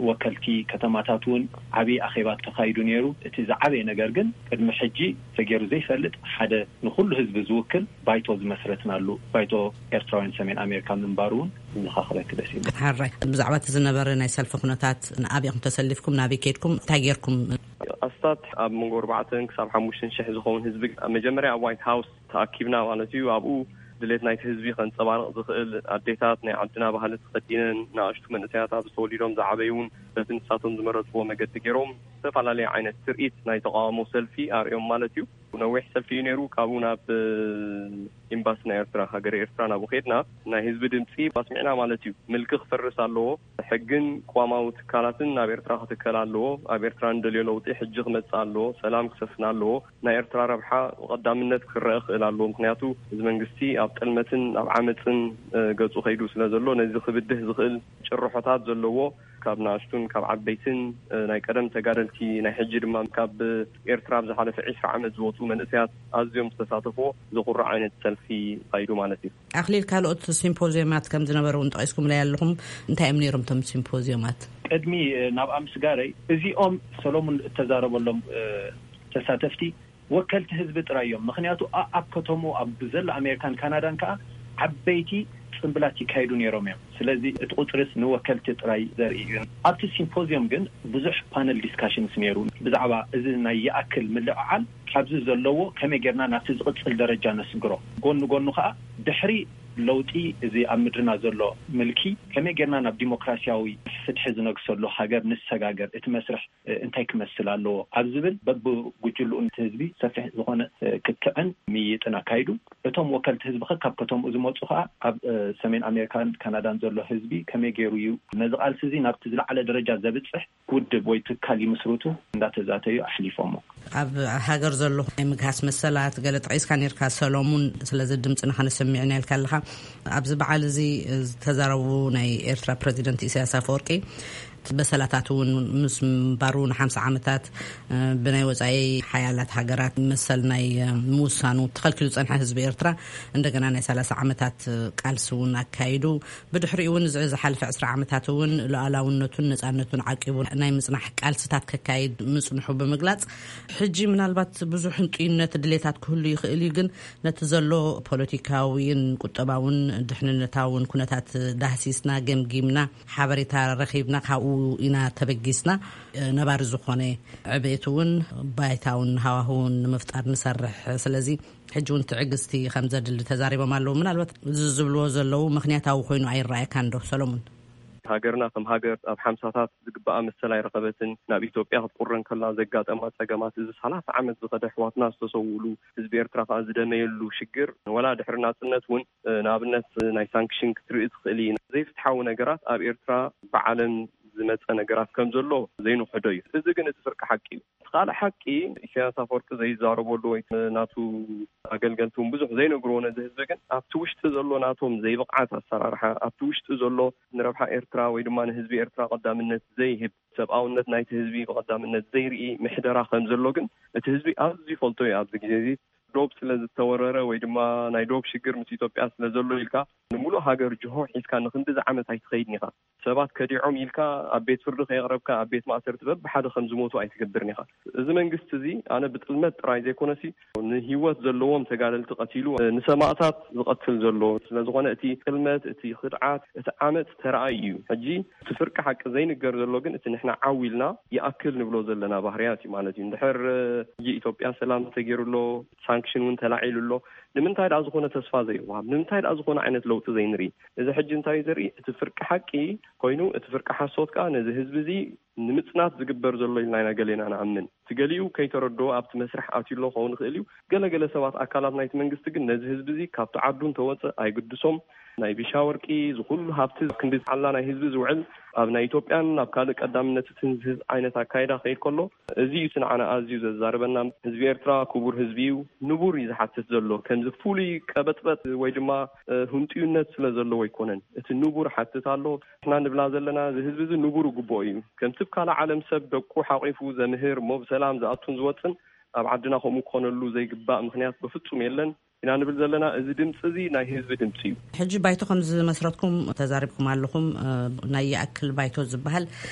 ወከልቲ ከተማታት እውን ዓብዪ ኣኼባ ተኻይዱ ነይሩ። እቲ ዝዓበየ ነገር ግን ቅድሚ ሕጂ ተገይሩ ዘይፈልጥ ሓደ ንኩሉ ህዝቢ ዝውክል ባይቶ ዝመስረትናሉ ባይቶ ኤርትራውያን ሰሜን ኣሜሪካ ምንባሩ እውን ንኻኽበክ ደስ ይብል። ሕራይ፣ ብዛዕባ እቲ ዝነበረ ናይ ሰልፊ ኩነታት፣ ንኣበይ ኢኹም ተሰሊፍኩም፣ ናበይ ከይድኩም፣ እንታይ ጌርኩም? ኣስታት ኣብ መንጎ ኣርባዕተን ክሳብ ሓሙሽተን ሽሕ ዝኸውን ህዝቢ ኣብ መጀመርያ ኣብ ዋይት ሃውስ ተኣኪብና ማለት እዩ። ኣብኡ ድሌት ናይቲ ህዝቢ ከንጸባርቕ ዝኽእል፣ ኣዴታት ናይ ዓድና ባህሊ ተኸዲነን፣ ንኣሽቱ መንእሰያት ኣብዚ ተወሊዶም ዝዓበዩ እውን በቲ ንሳቶም ዝመረጽዎ መገዲ ገይሮም ዝተፈላለየ ዓይነት ትርኢት ናይ ተቓውሞ ሰልፊ ኣርእዮም ማለት እዩ። ነዊሕ ሰልፊ እዩ ነይሩ። ካብኡ ናብ ኤምባሲ ናይ ኤርትራ፣ ሃገረ ኤርትራ ናብኡ ከድና ናይ ህዝቢ ድምፂ ኣስሚዕና ማለት እዩ። ምልኪ ክፈርስ ኣለዎ፣ ሕግን ቅዋማዊ ትካላትን ናብ ኤርትራ ክትከል ኣለዎ፣ ኣብ ኤርትራ እንደልዮ ለውጢ ሕጂ ክመፅእ ኣለዎ፣ ሰላም ክሰፍን ኣለዎ፣ ናይ ኤርትራ ረብሓ ቀዳምነት ክረአ ክእል ኣለዎ። ምክንያቱ እዚ መንግስቲ ኣብ ጥልመትን ኣብ ዓመፅን፣ እ፣ ገፁ ከይዱ ስለ ዘሎ፣ ነዚ ክብድህ ዝኽእል ጭርሖታት ዘለዎ፣ ካብ ንኣሽቱን ካብ ዓበይትን፣ እ፣ ናይ ቀደም ተጋደልቲ፣ ናይ ሕጂ ድማ ካብ ኤርትራ ኣብ ዝሓለፈ ዒስራ ዓመት ዝወፁ መንእሰያት ኣዝዮም ዝተሳተፍዎ ዘኹርዕ ዓይነት ሰልፊ ካይዱ ማለት እዩ። ኣኽሊል፣ ካልኦት ሲምፖዚየማት ከም ዝነበረ እውን ጠቒስኩምለይ ኣለኹም። እንታይ እዮም ነይሮም እቶም ሲምፖዚየማት? ቅድሚ፣ እ፣ ናብኣ ምስጋረይ፣ እዚኦም ሰሎሙን እተዛረበሎም፣ እ፣ ተሳተፍቲ ወከልቲ ህዝቢ ጥራይ እዮም። ምክንያቱ፣ ኣ-፣ ኣብ ከተሙ ኣብ ዘሎ ኣሜሪካን ካናዳን ከኣ ዓበይቲ ጽምብላት ይካየዱ ነይሮም እዮም። ስለዚ እቲ ቁጽርስ ንወከልቲ ጥራይ ዘርኢ እዩ። ኣብቲ ሲምፖዚየም ግን ብዙሕ ፓነል ዲስካሽንስ ነይሩ። ብዛዕባ እዚ ናይ ይኣክል ምልዕዓል ካብዚ ዘለዎ ከመይ ጌርና ናብቲ ዝቕጽል ደረጃ ነስግሮ፣ ጎኒ ጎኑ ከኣ ድሕሪ ለውጢ እዚ ኣብ ምድርና ዘሎ ምልኪ ከመይ ጌርና ናብ ዲሞክራሲያዊ ፍትሒ ዝነግሰሉ ሃገር ንሰጋገር፣ እቲ መስርሕ እ፣ እንታይ ክመስል ኣለዎ ኣብ ዝብል በብጉጅልኡ ነቲ ህዝቢ ሰፊሕ ዝኾነ፣ እ፣ ክትዕን ምይይጥን ኣካይዱ። እቶም ወከልቲ ህዝቢ ከ ካብ ከተምኡ ዝመጹ ከኣ ኣብ፣ እ፣ ሰሜን ኣሜሪካን ካናዳን ዘሎ ህዝቢ ከመይ ገይሩ እዩ ነዚ ቃልሲ እዚ ናብቲ ዝለዓለ ደረጃ ዘብጽሕ ውድብ ወይ ትካል ይምስርቱ እንዳተዛተዩ ኣሕሊፎሞ። ኣብ ሃገር ዘሎ ናይ ምግሃስ መሰላት ገለ ጠቒስካ ነርካ ሰሎሙን፣ ስለዚ ድምፅና ከነሰምዕ ኢና ኢልካ ኣለኻ። ኣብዚ በዓል እዚ ዝተዛረቡ ናይ ኤርትራ ፕረዚደንት ኢሳያስ ኣፈወርቂ በሰላታት እውን ምስ ምንባሩ ንሓምሳ ዓመታት፣ እ፣ ብናይ ወጻኢ ሓያላት ሃገራት መሰል ናይ፣ እ፣ ምውሳኑ ተኸልኪሉ ጸንሐ ህዝቢ ኤርትራ እንደገና ናይ ሰላሳ ዓመታት ቃልሲ እውን ኣካይዱ። ብድሕሪኡ እውን እዚ ዝሓለፈ ዕስራ ዓመታት እውን ሉዓላውነቱን ነጻነቱን ዓቂቡ ናይ ምጽናሕ ቃልስታት ከካይድ ምጽንሑ ብምግላጽ፣ ሕጂ ምናልባት ብዙሕ ህንጡይነት ድሌታት ክህሉ ይኽእል እዩ፣ ግን ነቲ ዘሎ ፖለቲካዊን ቁጠባውን ድሕንነታውን ኩነታት ዳህሲስና ገምጊምና ሓበሬታ ረኺብና ካብኡ ኢና ተበጊስና። ነባሪ ዝኾነ ዕቤት እውን ባይታውን ሃዋህውን ንምፍጣር ንሰርሕ። ስለዚ ሕጂ እውን ትዕግስቲ ከም ዘድሊ ተዛሪቦም ኣለዉ። ምናልባት እዚ ዝብልዎ ዘለዉ ምኽንያታዊ ኮይኑ ኣይረኣየካን ዶ ሰሎሙን? ሃገርና ከም ሃገር ኣብ ሓምሳታት ዝግባኣ መሰል ኣይረኸበትን። ናብ ኢትዮጵያ ክትቁረ እንከላ ዘጋጠማ ጸገማት፣ እዚ ሰላሳ ዓመት ዝኸደ ኣሕዋትና ዝተሰውኡሉ፣ ህዝቢ ኤርትራ ከኣ ዝደመየሉ ሽግር፣ ወላ ድሕሪ ናጽነት እውን፣ እ፣ ንኣብነት ናይ ሳንክሽን ክትርኢ ትኽእል ኢና። ዘይፍትሓዊ ነገራት ኣብ ኤርትራ ብዓለም ዝመጸ ነገራት ከም ዘሎ ዘይንኽሕዶ እዩ። እዚ ግን እቲ ፍርቂ ሓቂ እዩ። እቲ ካልእ ሓቂ፣ ኢሳያስ ኣፈወርቂ ዘይዛረበሉ ወይ ናቱ ኣገልገልቲ እውን ብዙሕ ዘይነግርዎ ነዚ ህዝቢ፣ ግን ኣብቲ ውሽጢ ዘሎ ናቶም ዘይብቕዓት ኣሰራርሓ፣ ኣብቲ ውሽጢ ዘሎ ንረብሓ ኤርትራ ወይ ድማ ንህዝቢ ኤርትራ ቀዳምነት ዘይህብ፣ ሰብኣውነት ናይቲ ህዝቢ ብቐዳምነት ዘይርኢ ምሕደራ ከም ዘሎ ግን እቲ ህዝቢ ኣዝዩ ይፈልጦ እዩ። ኣብዚ ግዜ እዚ ዶብ ስለ ዝተወረረ ወይ ድማ ናይ ዶብ ሽግር ምስ ኢትዮጵያ ስለ ዘሎ ኢልካ ንምሉእ ሃገር ጅሆ ሒዝካ ንክንድዚ ዓመት ኣይትኸይድን ኢኻ። ሰባት ከዲዖም ኢልካ ኣብ ቤት ፍርዲ ከየቕረብካ ኣብ ቤት ማእሰርቲ በብሓደ ከም ዝሞቱ ኣይትገብርን ኢኻ። እዚ መንግስቲ እዚ ኣነ ብጥልመት ጥራይ ዘይኮነሲ ንህይወት ዘለዎም ተጋደልቲ ቀቲሉ፣ ንሰማእታት ዝቐትል ዘሎ ስለ ዝኾነ እቲ ጥልመት፣ እቲ ክድዓት፣ እቲ ዓመፅ ተረኣዩ እዩ። ሕጂ እቲ ፍርቂ ሓቂ ዘይንገር ዘሎ ግን እቲ ንሕና ዓው ኢልና ይኣክል ንብሎ ዘለና ባህርያት እዩ ማለት እዩ። እንድሕር ሕጂ ኢትዮጵያ ሰላም ተገይሩ ኣሎ፣ ኣክሽን እውን ተላዒሉ ኣሎ። ንምንታይ ደኣ ዝኾነ ተስፋ ዘይወሃብ? ንምንታይ ደኣ ዝኾነ ዓይነት ለውጢ ዘይንርኢ? እዚ ሕጂ እንታይ እዩ ዘርኢ? እቲ ፍርቂ ሓቂ ኮይኑ፣ እቲ ፍርቂ ሓሶት ከኣ ነዚ ህዝቢ እዚ ንምጽናት ዝግበር ዘሎ ኢልና ኢና ገሌና ንኣምን። እቲ ገሊኡ ከይተረድኦ ኣብቲ መስርሕ ኣትዩ ኣሎ ክኸውን ይኽእል እዩ። ገለገለ ሰባት፣ ኣካላት ናይቲ መንግስቲ ግን ነዚ ህዝቢ እዚ ካብቲ ዓዱ እንተወጸ ኣይግድሶም። ናይ ቢሻ ወርቂ፣ እዚ ኩሉ ሃብቲ ክንዲ ዓላ ናይ ህዝቢ ዝውዕል፣ ኣብ ናይ ኢትዮጵያን ኣብ ካልእ ቀዳምነት እቲ ህዝቢ ዓይነት ኣካይዳ ክኸይድ ከሎ፣ እዚ እዩ እቲ ንዓና ኣዝዩ ዘዛርበና። ህዝቢ ኤርትራ ክቡር ህዝቢ እዩ። ንቡር እዩ ዝሓትት ዘሎ። ከምዚ ፍሉይ ቀበጥበጥ ወይ ድማ፣ እ፣ ህንጥዩነት ስለ ዘለዎ ኣይኮነን። እቲ ንቡር ሓትት ኣሎ። ንሕና ንብላ ዘለና፣ እዚ ህዝቢ እዚ ንቡር ይግብኦ እዩ። ከምቲ ኣብ ካልእ ዓለም ሰብ ደቁ ሓቂፉ ዘምህር፣ እሞ ብሰላም ዝኣቱን ዝወጽን፣ ኣብ ዓድና ከምኡ ክኾነሉ ዘይግባእ ምኽንያት ብፍጹም የለን። ኢና ንብል ዘለና። እዚ ድምፂ እዚ ናይ ህዝቢ ድምፂ እዩ። ሕጂ ባይቶ ከም ዝመስረትኩም ተዛሪብኩም ኣለኹም። እ፣ ናይ ይኣክል ባይቶ ዝበሃል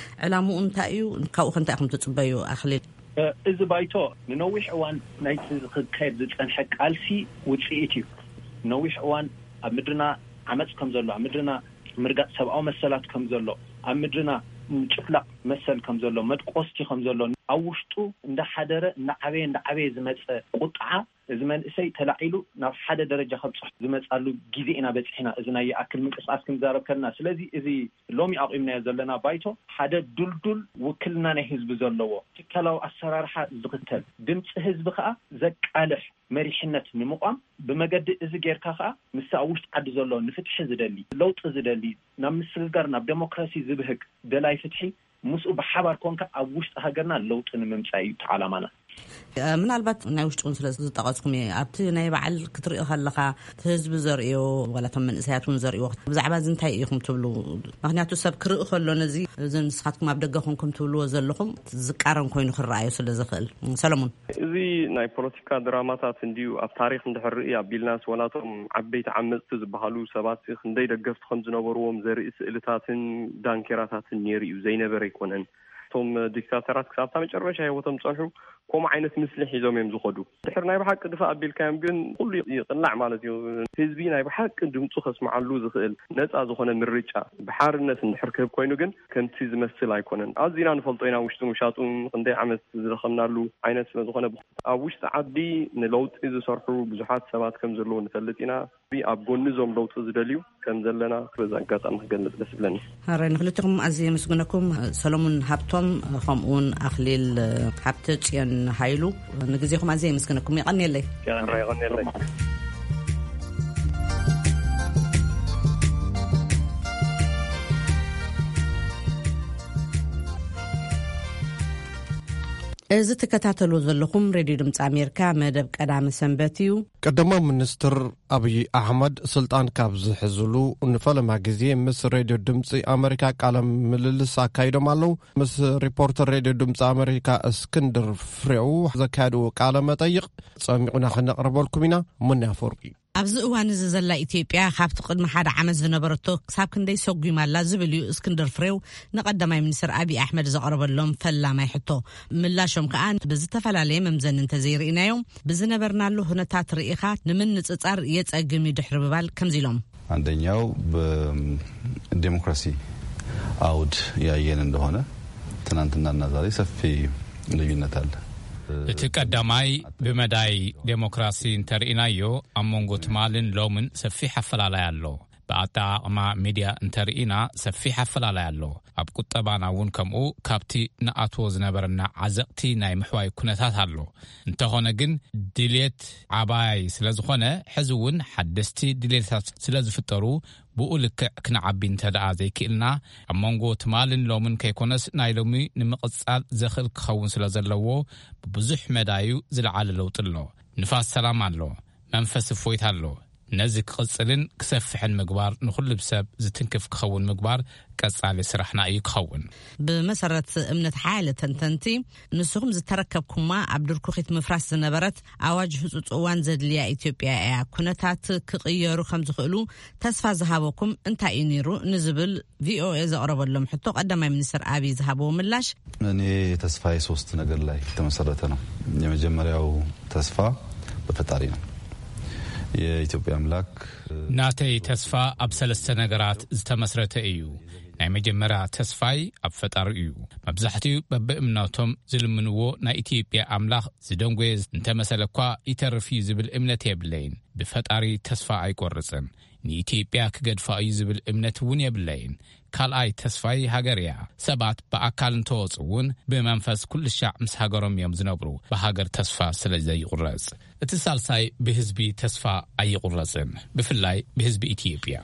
ዕላምኡ እንታይ እዩ? ካብኡ ከ እንታይ ኢኹም ትፅበዩ? ኣኽሊል። እ፣ እዚ ባይቶ ንነዊሕ እዋን ናይቲ ክካየድ ዝፀንሐ ቃልሲ ውፅኢት እዩ። ነዊሕ እዋን ኣብ ምድርና ዓመፅ ከም ዘሎ፣ ኣብ ምድርና ምርጋፅ ሰብኣዊ መሰላት ከም ዘሎ፣ ኣብ ምድርና ምጭፍላቕ መሰል ከም ዘሎ፣ መድቆስቲ ከም ዘሎ፣ ኣብ ውሽጡ እንዳሓደረ እንዳዓበየ እንዳዓበየ ዝመፀ ቁጥዓ፣ እዚ መንእሰይ ተላዒሉ ናብ ሓደ ደረጃ ከብፅሕ ዝመፃሉ ግዜ ኢና በፂሕና። እዚ ናይ ይኣክል ምንቅስቃስ ክንዛረብ ከለና፣ ስለዚ እዚ ሎሚ ኣቑምናዮ ዘለና ባይቶ ሓደ ዱልዱል ውክልና ናይ ህዝቢ ዘለዎ ትካላዊ ኣሰራርሓ ዝኽተል፣ ድምፂ ህዝቢ ከዓ ዘቃልሕ መሪሕነት ንምቋም፣ ብመገዲ እዚ ጌርካ ከዓ ምስ ኣብ ውሽጢ ዓዲ ዘሎ ንፍትሒ ዝደሊ፣ ለውጢ ዝደሊ፣ ናብ ምስግጋር፣ ናብ ደሞክራሲ ዝብህግ ደላይ ፍትሒ ምስኡ ብሓባር ኮንካ ኣብ ውሽጢ ሃገርና ለውጢ ንምምፃእ እዩ እቲ ዓላማና። እ፣ ምናልባት ናይ ውሽጢ እውን ስለ ዝጠቐስኩም እየ። ኣብቲ ናይ በዓል ክትርኢ ከለኻ፣ እቲ ህዝቢ ዘርእዮ፣ ዋላ እቶም መንእሰያት እውን ዘርእዮ፣ ብዛዕባ እዚ እንታይ ኢኹም ትብሉ? ምኽንያቱ ሰብ ክርኢ ከሎ ነዚ፣ እዚ ንስኻትኩም ኣብ ደገ ኮንኩም ትብልዎ ዘለኹም ዝቃረን ኮይኑ ክረኣዮ ስለ ዝኽእል። ሰለሙን። እዚ ናይ ፖለቲካ ድራማታት እንድዩ ኣብ ታሪኽ እንድሕር ርኢ ኣቢልናስ፣ ዋላ እቶም ዓበይቲ ዓመፅቲ ዝበሃሉ ሰባት ክንደይ ደገፍቲ ከም ዝነበርዎም ዘርኢ ስእልታትን ዳንኬራታትን ነይሩ እዩ። ዘይነበረ ኣይኮነን። እቶም ዲክታተራት ክሳብ እታ መጨረሻ ህይወቶም ዝፀንሑ ከምኡ ዓይነት ምስሊ ሒዞም እዮም ዝኸዱ። ድሕር ናይ ብሓቂ ድፋእ ኣቢልካዮም ግን ኩሉ ይቕላዕ ማለት እዩ። ህዝቢ ናይ ብሓቂ ድምፁ ከስምዓሉ ዝኽእል ነፃ ዝኾነ ምርጫ ብሓርነት እንድሕር ክህብ ኮይኑ ግን ከምቲ ዝመስል ኣይኮነን። ኣዚና ንፈልጦ ኢና፣ ውሽጥን ውሻጡን ክንደይ ዓመት ዝደኸምናሉ ዓይነት ስለ ዝኾነ፣ ኣብ ውሽጢ ዓዲ ንለውጢ ዝሰርሑ ብዙሓት ሰባት ከም ዘለዉ ንፈልጥ ኢና። ኣብ ጎኒ እዞም ለውጢ ዝደልዩ ከም ዘለና በዚ ኣጋጣሚ ክገልጽ ደስ ይብለኒ። ሃራይ ንክልቲኹም ኣዝየ የመስግነኩም። ሰሎሙን ሃብቶም ከምኡውን ኣኽሊል ሃብተ ጽዮን ሃይሉ ንግዜኹም ኣዝየ የመስግነኩም። የቐንየለይ። ሃራይ የቐንየለይ። እዚ ትከታተሉ ዘለኹም ሬድዮ ድምፂ ኣሜሪካ መደብ ቀዳመ ሰንበት እዩ። ቀዳማይ ሚኒስትር ኣብይ ኣሕመድ ስልጣን ካብ ዝሕዝሉ ንፈለማ ግዜ ምስ ሬድዮ ድምፂ ኣሜሪካ ቃለ ምልልስ ኣካይዶም ኣለዉ። ምስ ሪፖርተር ሬድዮ ድምፂ ኣሜሪካ እስክንድር ፍሬው ዘካየድዎ ቃለ መጠይቕ ጸሚቑና ክነቕርበልኩም ኢና። ሙና ኣፈወርቂ። ኣብዚ እዋን እዚ ዘላ ኢትዮጵያ ካብቲ ቅድሚ ሓደ ዓመት ዝነበረቶ ክሳብ ክንደይ ሰጒማ ኣላ ዝብል እዩ እስክንድር ፍሬው ንቀዳማይ ሚኒስትር ኣብይ ኣሕመድ ዘቕረበሎም ፈላማይ ሕቶ። ምላሾም ከኣ ብዝተፈላለየ መምዘኒ እንተዘይርኢናዮም፣ ብዝነበርናሉ ኩነታት ርኢኻ ንምንጽጻር የጸግም እዩ ድሕሪ ምባል ከምዚ ኢሎም። አንደኛው በዲሞክራሲ አውድ ያየን እንደሆነ ትናንትናና ዛሬ ሰፊ ልዩነት አለ። እቲ ቀዳማይ ብመዳይ ዴሞክራሲ እንተርኢናዮ ኣብ መንጎ ትማልን ሎምን ሰፊሕ ኣፈላላይ ኣሎ። ብኣጠቓቕማ ሚድያ እንተርኢና ሰፊሕ ኣፈላላይ ኣሎ። ኣብ ቁጠባና እውን ከምኡ ካብቲ ንኣትዎ ዝነበረና ዓዘቕቲ ናይ ምሕዋይ ኩነታት ኣሎ። እንተኾነ ግን ድሌት ዓባይ ስለ ዝኾነ፣ ሕዚ እውን ሓደስቲ ድሌታት ስለ ዝፍጠሩ፣ ብኡ ልክዕ ክንዓቢ እንተ ደኣ ዘይክእልና፣ ኣብ መንጎ ትማልን ሎምን ከይኮነስ ናይ ሎሚ ንምቕጻል ዘኽእል ክኸውን ስለ ዘለዎ፣ ብብዙሕ መዳዩ ዝለዓለ ለውጢ ኣሎ። ንፋስ ሰላም ኣሎ። መንፈስ እፎይታ ኣሎ። ነዚ ክቕጽልን ክሰፍሕን ምግባር፣ ንኹሉ ሰብ ዝትንክፍ ክኸውን ምግባር ቀጻሊ ስራሕና እዩ ክኸውን። ብመሰረት እምነት ሓያለ ተንተንቲ፣ ንስኹም ዝተረከብኩማ ኣብ ድርኩኺት ምፍራስ ዝነበረት ኣዋጅ ህጹጽ እዋን ዘድልያ ኢትዮጵያ እያ። ኩነታት ክቕየሩ ከም ዝኽእሉ ተስፋ ዝሃበኩም እንታይ እዩ ነይሩ ንዝብል ቪኦኤ ዘቕረበሎም ሕቶ ቀዳማይ ሚኒስትር ኣብይ ዝሃብዎ ምላሽ፣ እኔ ተስፋዬ ሶስት ነገር ላይ የተመሰረተ ነው። የመጀመሪያው ተስፋ በፈጣሪ ነው። የኢትዮጵያ አምላክ። ናተይ ተስፋ ኣብ ሰለስተ ነገራት ዝተመስረተ እዩ። ናይ መጀመርያ ተስፋይ ኣብ ፈጣሪ እዩ። መብዛሕትኡ በብእምነቶም ዝልምንዎ ናይ ኢትዮጵያ ኣምላኽ ዝደንጎየ እንተመሰለ እኳ ይተርፍ እዩ ዝብል እምነት የብለይን። ብፈጣሪ ተስፋ ኣይቆርጽን። ንኢትዮጵያ ክገድፋ እዩ ዝብል እምነት እውን የብለይን። ካልኣይ ተስፋይ ሃገር እያ። ሰባት ብኣካል እንተወፁ እውን ብመንፈስ ኩሉ ሻዕ ምስ ሃገሮም እዮም ዝነብሩ፣ ብሃገር ተስፋ ስለ ዘይቁረፅ። እቲ ሳልሳይ ብህዝቢ ተስፋ ኣይቁረፅን፣ ብፍላይ ብህዝቢ ኢትዮጵያ።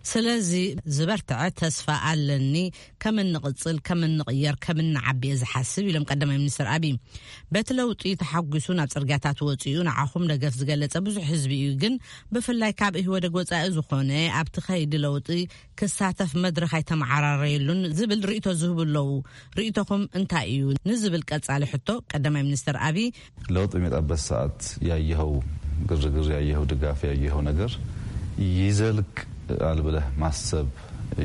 ስለዚ ዝበርትዐ ተስፋ ኣለኒ። ከም እንቕጽል፣ ከም እንቕየር፣ ከም እንዓቢ እየ ዝሓስብ ኢሎም ቀዳማይ ሚኒስትር ኣብይ። በቲ ለውጢ ተሓጒሱ ናብ ጽርግያታት ወጺኡ ንዓኹም ደገፍ ዝገለጸ ብዙሕ ህዝቢ እዩ፣ ግን ብፍላይ ካብ ኢህወደግ ወጻኢ ዝኾነ ኣብቲ ከይዲ ለውጢ ክሳተፍ መድረኽ ኣይተመዓራረየሉን ዝብል ርእይቶ ዝህቡ ኣለዉ። ርእይቶኹም እንታይ እዩ ንዝብል ቀጻሊ ሕቶ ቀዳማይ ሚኒስትር ኣብይ ለውጥ በሚመጣበት ሰዓት ያየኸው ግርግር፣ ያየኸው ድጋፍ፣ ያየኸው ነገር ይዘልቃል ብለህ ማሰብ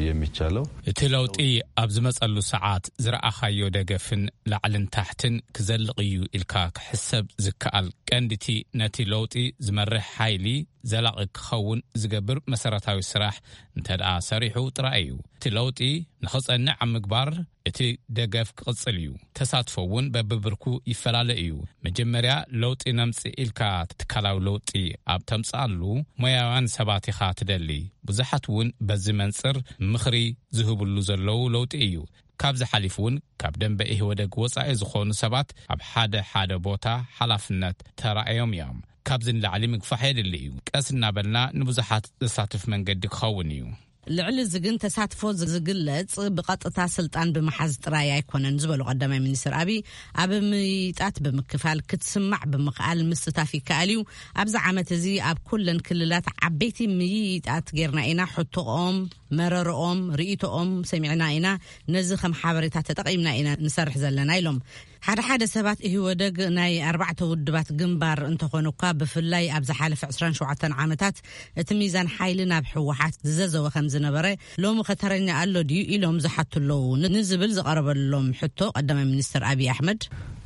የሚቻለው እቲ ለውጢ ኣብ ዝመጸሉ ሰዓት ዝረኣኻዮ ደገፍን ላዕልን ታሕትን ክዘልቕ እዩ ኢልካ ክሕሰብ ዝከኣል ቀንዲቲ ነቲ ለውጢ ዝመርሕ ሓይሊ ዘላቒ ክኸውን ዝገብር መሰረታዊ ስራሕ እንተ ደኣ ሰሪሑ ጥራይ እዩ። እቲ ለውጢ ንኽጸንዕ ኣብ ምግባር እቲ ደገፍ ክቕጽል እዩ። ተሳትፎ እውን በብብርኩ ይፈላለ እዩ። መጀመርያ ለውጢ ነምጽእ ኢልካ ትካላዊ ለውጢ ኣብ ተምጽኣሉ ሞያውያን ሰባት ኢኻ ትደሊ። ብዙሓት እውን በዚ መንጽር ምኽሪ ዝህብሉ ዘለዉ ለውጢ እዩ። ካብዚ ሓሊፉ እውን ካብ ደንበ ኢህወደግ ወጻኢ ዝኾኑ ሰባት ኣብ ሓደ ሓደ ቦታ ሓላፍነት ተራእዮም እዮም። ካብዚ ንላዕሊ ምግፋሕ የድሊ እዩ። ቀስ እናበልና ንብዙሓት ዘሳትፍ መንገዲ ክኸውን እዩ። ልዕሊ እዚ ግን ተሳትፎ ዝግለጽ ብቐጥታ ስልጣን ብምሓዝ ጥራይ ኣይኮነን ዝበሉ ቀዳማይ ሚኒስትር ኣብይ፣ ኣብ ምይይጣት ብምክፋል ክትስማዕ ብምኽኣል ምስታፍ ይከኣል እዩ። ኣብዚ ዓመት እዚ ኣብ ኩለን ክልላት ዓበይቲ ምይይጣት ጌርና ኢና። ሕቶኦም፣ መረርኦም፣ ርእይቶኦም ሰሚዕና ኢና። ነዚ ከም ሓበሬታ ተጠቒምና ኢና ንሰርሕ ዘለና ኢሎም። ሓደ ሓደ ሰባት ኢህወደግ ናይ ኣርባዕተ ውድባት ግንባር እንተኾነ እኳ፣ ብፍላይ ኣብ ዝሓለፈ ዕስራን ሸውዓተን ዓመታት እቲ ሚዛን ሓይሊ ናብ ህወሓት ዝዘዘወ ከም ዝነበረ፣ ሎሚ ከተረኛ ኣሎ ድዩ ኢሎም ዝሓቱ ኣለዉ ን-፣ ንዝብል ዝቐረበሎም ሕቶ ቀዳማይ ሚኒስትር ኣብይ ኣሕመድ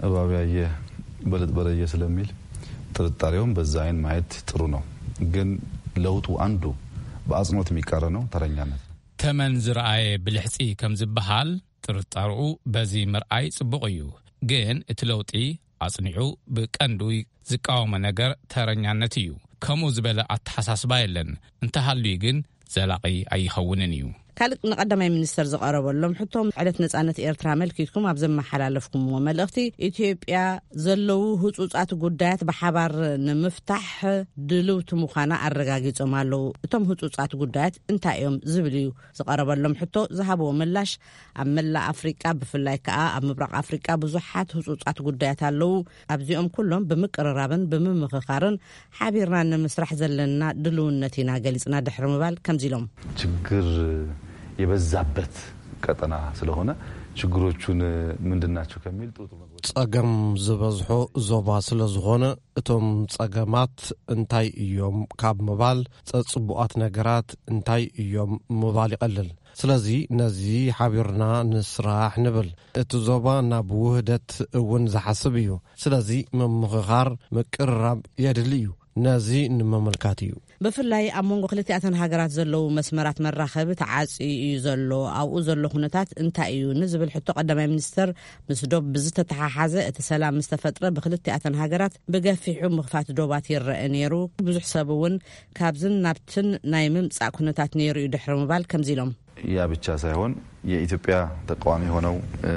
እባብ ያየ በለጥ በረየ ስለሚል ጥርጣሬውን በዛ አይን ማየት ጥሩ ነው። ግን ለውጡ አንዱ በአጽንኦት የሚቃረነው ተረኛነት ነው። ተመን ዝረኣየ ብልሕጺ ከም ዝበሃል፣ ጥርጣርኡ በዚ ምርኣይ ጽቡቕ እዩ። ግን እቲ ለውጢ ኣጽኒዑ ብቀንዱ ዝቃወሞ ነገር ተረኛነት እዩ። ከምኡ ዝበለ ኣተሓሳስባ የለን። እንተሃልዩ ግን ዘላቒ ኣይኸውንን እዩ። ካልእ ንቀዳማይ ሚኒስተር ዝቐረበሎም ሕቶ፣ ዕለት ነጻነት ኤርትራ ኣመልኪትኩም ኣብ ዘመሓላለፍኩምዎ መልእኽቲ፣ ኢትዮጵያ ዘለዉ ህጹጻት ጉዳያት ብሓባር ንምፍታሕ ድልውቲ ምዃና ኣረጋጊጾም ኣለዉ። እቶም ህጹጻት ጉዳያት እንታይ እዮም ዝብል እዩ ዝቐረበሎም ሕቶ። ዝሃብዎ ምላሽ፣ ኣብ መላእ ኣፍሪቃ፣ ብፍላይ ከኣ ኣብ ምብራቕ ኣፍሪቃ ብዙሓት ህጹጻት ጉዳያት ኣለዉ። ኣብዚኦም ኩሎም ብምቅርራብን ብምምኽኻርን ሓቢርና ንምስራሕ ዘለና ድልውነት ኢና ገሊጽና ድሕሪ ምባል ከምዚ ኢሎም። ችግር የበዛበት ቀጠና ስለሆነ ችግሮቹን ምንድን ናቸው ከሚል ጥሩ ጥሩ ነገሮች ጸገም ዝበዝሖ ዞባ ስለ ዝኾነ እቶም ጸገማት እንታይ እዮም ካብ ምባል ጸጽቡኣት ነገራት እንታይ እዮም ምባል ይቐልል። ስለዚ ነዚ ሓቢርና ንስራሕ ንብል። እቲ ዞባ ናብ ውህደት እውን ዝሓስብ እዩ። ስለዚ ምምኽኻር፣ ምቅርራብ የድሊ እዩ። ነዚ ንምምልካት እዩ። ብፍላይ ኣብ መንጎ ክልቲኣተን ሃገራት ዘለዉ መስመራት መራኸቢ ተዓጽዩ እዩ ዘሎ። ኣብኡ ዘሎ ኩነታት እንታይ እዩ ንዝብል ሕቶ ቀዳማይ ሚኒስተር፣ ምስ ዶብ ብዝተተሓሓዘ እቲ ሰላም ምስ ተፈጥረ ብክልቲኣተን ሃገራት ብገፊሑ ምኽፋት ዶባት ይረአ ነይሩ። ብዙሕ ሰብ እውን ካብዝን ናብትን ናይ ምምጻእ ኩነታት ነይሩ እዩ ድሕሪ ምባል ከምዚ ኢሎም። ያ ብቻ ሳይሆን የኢትዮጵያ ተቃዋሚ ሆነው፣ እ፣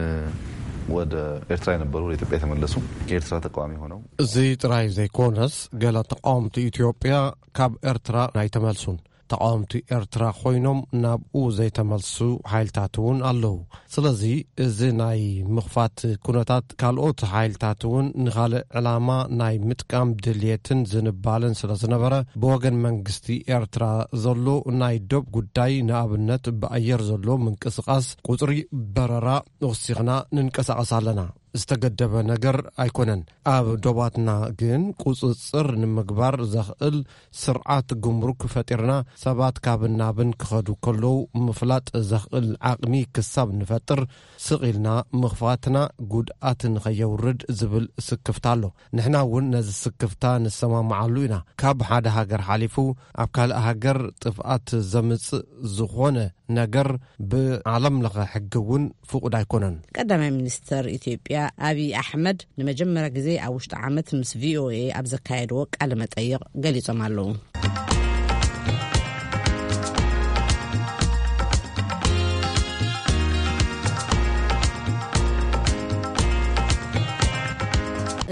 ወደ ኤርትራ የነበሩ ወደ ኢትዮጵያ የተመለሱ፣ የኤርትራ ተቃዋሚ ሆነው እዚ ጥራይ ዘይኮነስ፣ ገለ ተቃወምቲ ኢትዮጵያ ካብ ኤርትራ ኣይተመልሱን። ተቃወምቲ ኤርትራ ኮይኖም ናብኡ ዘይተመልሱ ሓይልታት እውን ኣለዉ። ስለዚ እዚ ናይ ምኽፋት ኩነታት ካልኦት ሓይልታት እውን ንኻልእ ዕላማ ናይ ምጥቃም ድልየትን ዝንባለን ስለ ዝነበረ፣ ብወገን መንግስቲ ኤርትራ ዘሎ ናይ ዶብ ጉዳይ፣ ንኣብነት ብኣየር ዘሎ ምንቅስቓስ፣ ቁጽሪ በረራ ወሲኽና ንንቀሳቐስ ኣለና። ዝተገደበ ነገር ኣይኮነን። ኣብ ዶባትና ግን ቁጽጽር ንምግባር ዘኽእል ስርዓት ጉምሩክ ፈጢርና፣ ሰባት ካብን ናብን ክኸዱ ከለዉ ምፍላጥ ዘኽእል ዓቕሚ ክሳብ ንፈጥር፣ ስቕ ኢልና ምኽፋትና ጉድኣት ንኸየውርድ ዝብል ስክፍታ ኣሎ። ንሕና እውን ነዚ ስክፍታ ንሰማምዓሉ ኢና። ካብ ሓደ ሃገር ሓሊፉ ኣብ ካልእ ሃገር ጥፍኣት ዘምጽእ ዝኾነ ነገር ብዓለም ለኸ ሕጊ እውን ፍቑድ ኣይኮነን። ቀዳማይ ሚኒስተር ኢትዮጵያ ኣብይ ኣሕመድ ንመጀመርያ ግዜ ኣብ ውሽጢ ዓመት ምስ ቪ ኦ ኤ ኣብ ዘካየድዎ ቃለ መጠይቕ ገሊጾም ኣለዉ።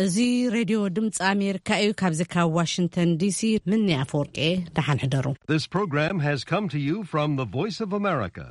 እዚ ሬድዮ ድምፂ ኣሜሪካ እዩ። ካብዚ ካብ ዋሽንግተን ዲሲ ምኒ ኣፈወርቂ፣ ደሓን ሕደሩ። This program has come to you from the Voice of America.